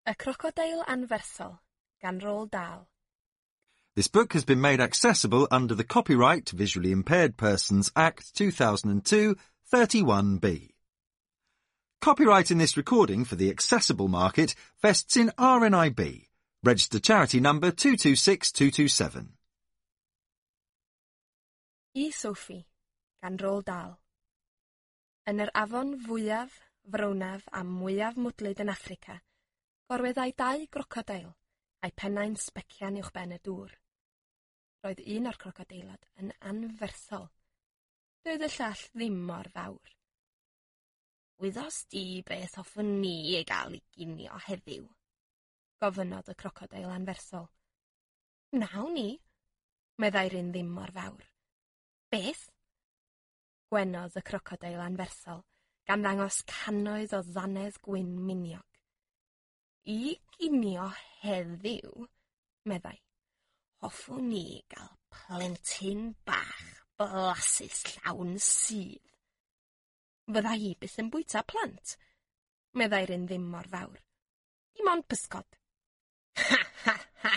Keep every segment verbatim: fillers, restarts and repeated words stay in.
Y Crocodeil Anferthol gan Roald Dahl. This book has been made accessible under the Copyright Visually Impaired Persons Act two thousand two, thirty-one B. Copyright in this recording for the accessible market vests in R N I B, registered charity number two two six two two seven. I Sophie, gan Roald Dahl. Yn yr afon fwyaf, frownaf a mwyaf mwdlyd yn Affrica, gorweddai dau grocodeil, a'i pennau'n sbecian uwchben y dŵr. Roedd un o'r crocodeilod yn anferthol. Doedd y llall ddim mor fawr. Wyddos di beth hoffwn ni ei gael i ginio heddiw? Gofynnodd y crocodeil anferthol. Wnawn ni, meddai'r un ddim mor fawr. Beth? Gwenodd y crocodeil anferthol, gan ddangos cannoedd o ddannedd gwyn miniog. I ginio heddiw, meddai, hoffwn ni gael plentyn bach blasus llawn sudd. Fydda i byth yn bwyta plant, meddai'r un ddim mor fawr. Dim ond pysgod. Ha, ha, ha,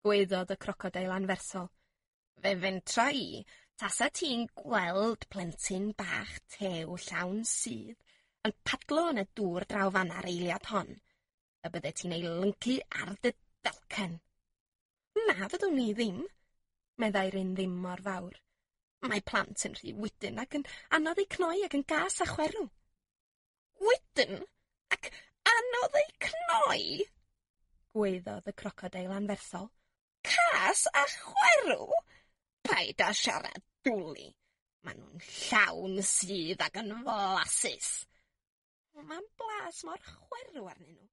gwaeddodd y crocodeil anferthol. Fe fentra i, tasa ti'n gweld plentyn bach tew llawn sudd yn padlo yn y dŵr draw fanna'r eiliad hon, y bydde ti'n ei lyncu ar dy dalcen. Na fyddwn ni ddim, meddai'r un ddim mor fawr. Mae plant yn rhy wydyn ac yn anodd eu cnoi ac yn gas a chwerw. Wydyn ac anodd eu cnoi? Gwaeddodd y crocodeil anferthol. Cas a chwerw? Paid â siarad dwli. Maen nhw'n llawn sudd ac yn flasus. Mae'n blas mor chwerw arnyn nhw.